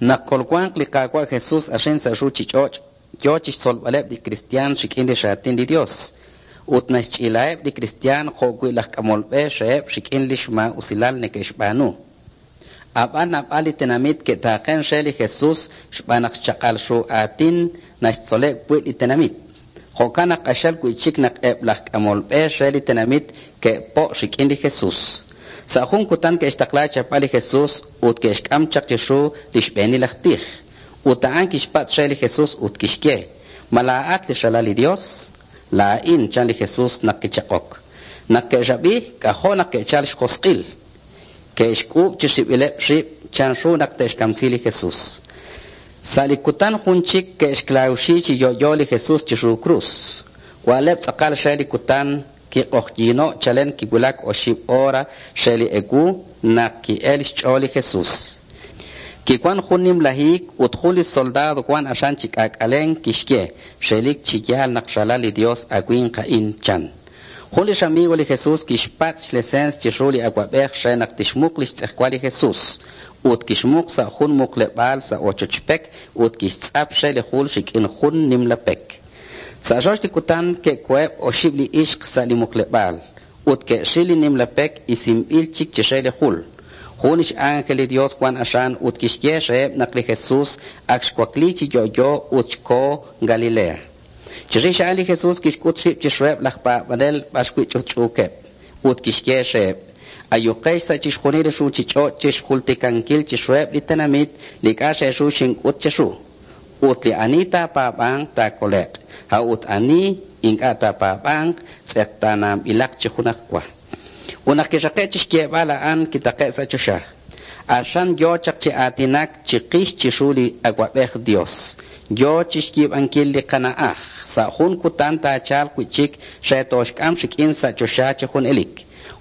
Naq kolwanq li Qaawa' Jesús axin sa' ruuchich'och', yo chi xtzolb'aleb' li kristiyan rik'in li Raatin li Yos, ut naxch'iilaheb' li kristiyan jo'wi' laj k'amol b'e reheb' rik'in li xmaa'usilal neke'xb'aanu. Ab'an naab'al li tenamit ke'taaqenk re li Jesus xb'aan naq xchaq'al ru aatin naxtzoleb' wi' li tenamit. Jo'kan naq q'axal wi' chik naq eb' laj k'amol b'e re li tenamit ke'po' rik'in li Jesus. Sa' jun kutan ke'xtaqla xchapb'al li Jesus ut ke'xk'am chaq chiru li xb'eenil aj tij. Ut a'an kixpatz' re li Jesus ut kixye: Ma laa'at li Ralal li Yos? Laa'in, chan li Jesus naq kichaq'ok. Naq ke'rab'i, k'ajo' naq ke'chalk xjosq'il. Ke'xk'uub' chi rib'ileb' rib' chanru naq te'xkamsi li Jesus. Sa' li kutan jun chik ke'xklawxi chi yo'yo li Jesus chiru krus. Wa'leb' tz'aqal re li kutan, kiq'oqyino'k chalen kiwulak oxib' hora re li ewu naq ki'elk xch'ool li Jesus. Kiwank jun nimla hiik ut jun li soldado wank aran chi k'aak'alenk kixye: Relik chi yaal naq ralal li Yos a winq a'in, chan. Jun li ramigo li Jesus kixpatz' xleseens chiru li awab'ej re naq tixmuq li xtz'ejwal li Jesus. Ut kixmuq sa' jun muqleb'aal sa' ochoch pek ut kixtz'ap re li jul rik'in jun nimla pek. Sa' rox li kutan ke'koheb' oxib' li ixq sa' li muqleb'aal ut ke'ril li nimla pek isinb'il chik chire li jul. Jun x'ánjel li Yos wank aran ut kixye reheb' naq li Jesus ak xwakliik chi yo'yo ut xkoho Galilea. Chirix a'an li Jesus kixk'ut rib' chiruheb' laj paab'anel b'arwi' ch'utch'uukeb', ut kixye reheb': Ayuqex sa' chixjunil li ruuchich'och' chi xjultikankil chiruheb' li tenamit li k'a' re ru xink'ut cheru. Ut li ani taapaab'anq taakole'q, a'ut ani ink'a' taapaab'anq tz'eqtaananb'ilaq chi junajwa. Ut naq kiraqe'k chi xyeeb'al a'an, kitaqe'k sa' choxa. Aran yo chaq chi aatinak chiqix chiru li Awab'ej Yos, yo chi xyiib'ankil li qana'aj. Sa' jun kutan taachalq wi' chik re tooxk'am rik'in sa' choxa chi junelik.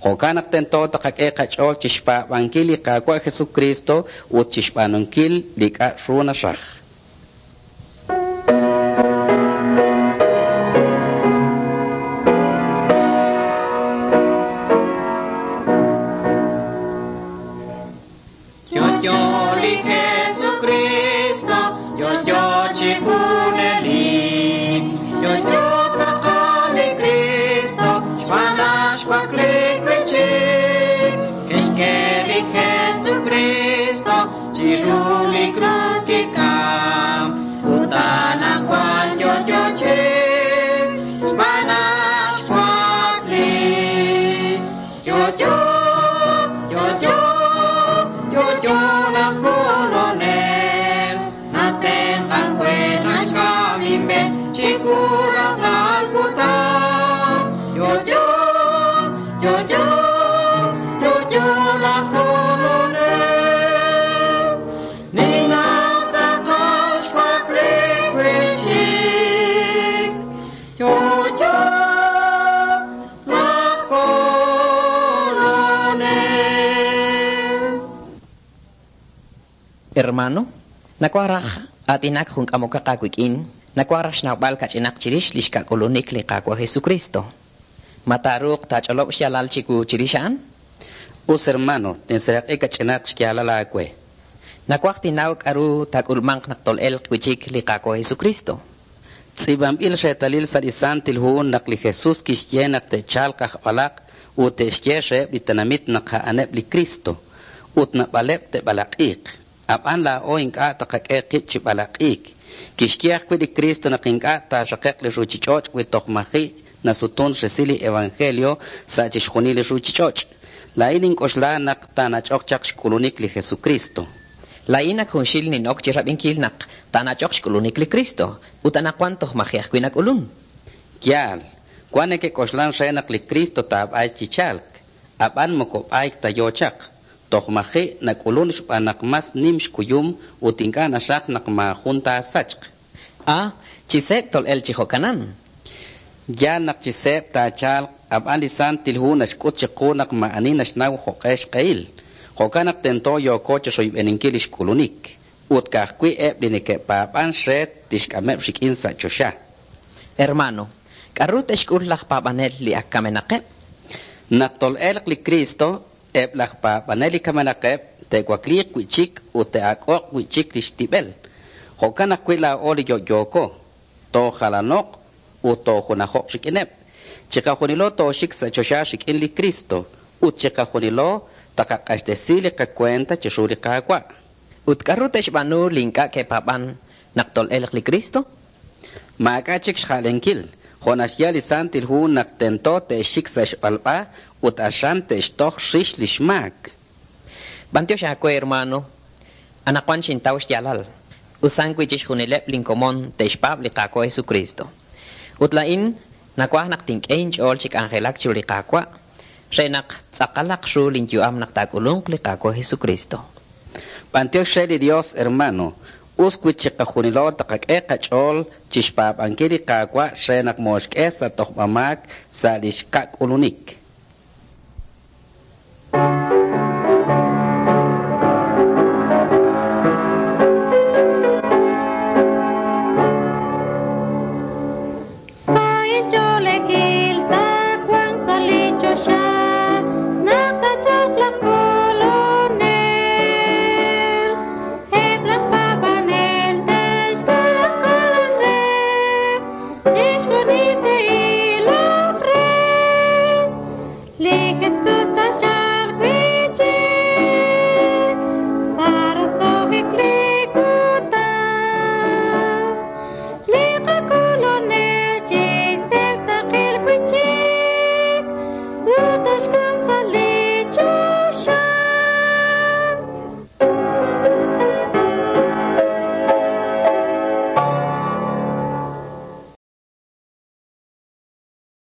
Jo'kan naq tento tqak'e qach'ool chi xpaab'ankil li Qaawa' Jesukriist ut chi xb'aanunkil li k'a' ru naraj. Yo'yo li Jesucristo, yo'yo chi junelik. Yo'yo tz'aqal li Cristo, xb'aan naq xwakliik wi'chik. Kixk'e li Jesucristo chiru li krus kikam, ut anaqwan yo'yo chik, xb'aan naq xwakliik. Yo'yo, yo'yo, yo'yo laj Kolonel, natenq'ank we naxk'am inb'e chiwu rajlal kutan. Yo'yo, yo'yo, yo'yo laj Kolonel, ninnaw tz'aqal xwakliik wi'chik. Yo'yo laj Kolonel. Hermano, nawaj raj aatinak jun k'amokaq aawik'in, nawaj raj xnawb'al kach'inaq chirix li xkak'ulunik li Qaawa' Jesucristo. Ma taaruuq taach'olob' xyaalal chiwu chirix a'an? Us hermano, tinseeraq'i kach'inaq xyaalal aawe. Nawaj tinnaw k'aru taak'ulmanq naq tol'elq wi' chik li Qaawa' Jesucristo. Tz'iib'anb'il reetalil sa' li Santil Hu naq li Jesus kixye naq te'chalq aj b'alaq' ut te'xye reheb' li tenamit naq a'aneb' li Cristo, ut naab'aleb' te'b'alaq'iiq. Ab'an laa'o ink'a' tqak'e qib' chi b'alaq'iik. Kixye ajwi' li Cristo naq ink'a' taaraqe'q li ruuchich'och' wi toj maji' nasutun resil li evangelio sa' chixjunil li ruuchich'och'. Laa'in nink'oxla naq taanach'oq chaq xk'ulunik li Jesucristo. Laa'in ak junxil nin'ok chi rab'inkil naq taanach'oq xk'ulunik li Cristo, ut anaqwan toj maji' ajwi' nak'ulun. Yaal, wank neke'k'oxlank re naq li Cristo taab'ayq chi chalk, ab'an moko b'ayk ta yo chaq. Toj maji' nak'ulunk xb'aan naq mas nim xkuyum ut ink'a' naxraj naq maajun taasachq. Ah, chi seeb' tol'elq chi jo'kanan. Yaal naq chi seeb' taachalq, ab'an li Santil Hu naxk'ut chiqu naq maa'ani naxnaw jo'q'e xq'ehil. Jo'kan naq tento yooko chi royb'eninkil li xk'ulunik. Ut ka'ajwi' eb' li neke'paab'ank re tixk'ameb' rik'in sa' choxa. Hermano, k'aru te'xk'ul laj paab'anel li ak kamenaqeb'? Naq tol'elq li Cristo, eb' laj paab'anel li kamenaqeb' te'wakliiq wi' chik ut te'ak'o'q wi' chik li xtib'el. Jo'kan ajwi' laa'o li yo'yooko, toojalano'q ut toojunajo'q rik'ineb'. Chiqajunilo tooxik sa' choxa rik'in li Kristo, ut chiqajunilo taqaq'axtesi li qakuenta chiru li Qaawa'. Ut k'aru te'xb'aanu li ink'a' ke'paab'an naq tol'elq li Cristo? Maak'a' chik xja'lenkil, jo' naxye li Santil Hu naq tento te'xik sa' xb'alb'a ut aran te'xtoj rix li xmaak. B'antiox aawe, hermano. Anaqwan xintaw xyaalal. Usan wi chixjunileb' linkomon te'xpaab' li Qaawa' Jesucristo. Ut laa'in nawaj naq tink'e inch'ool chi k'anjelak chiru li Qaawa' re naq tz'aqalaq ru linyu'am naq taak'ulunq li Qaawa' Jesucristo. B'antiox re li Dios, hermano. Us wi chiqajunilo taqak'e qach'ool chi xpaab'ankil li Qaawa' re naq mooxk'e sa' tojb'amaak sa' li xka'k'ulunik. Li Jesús.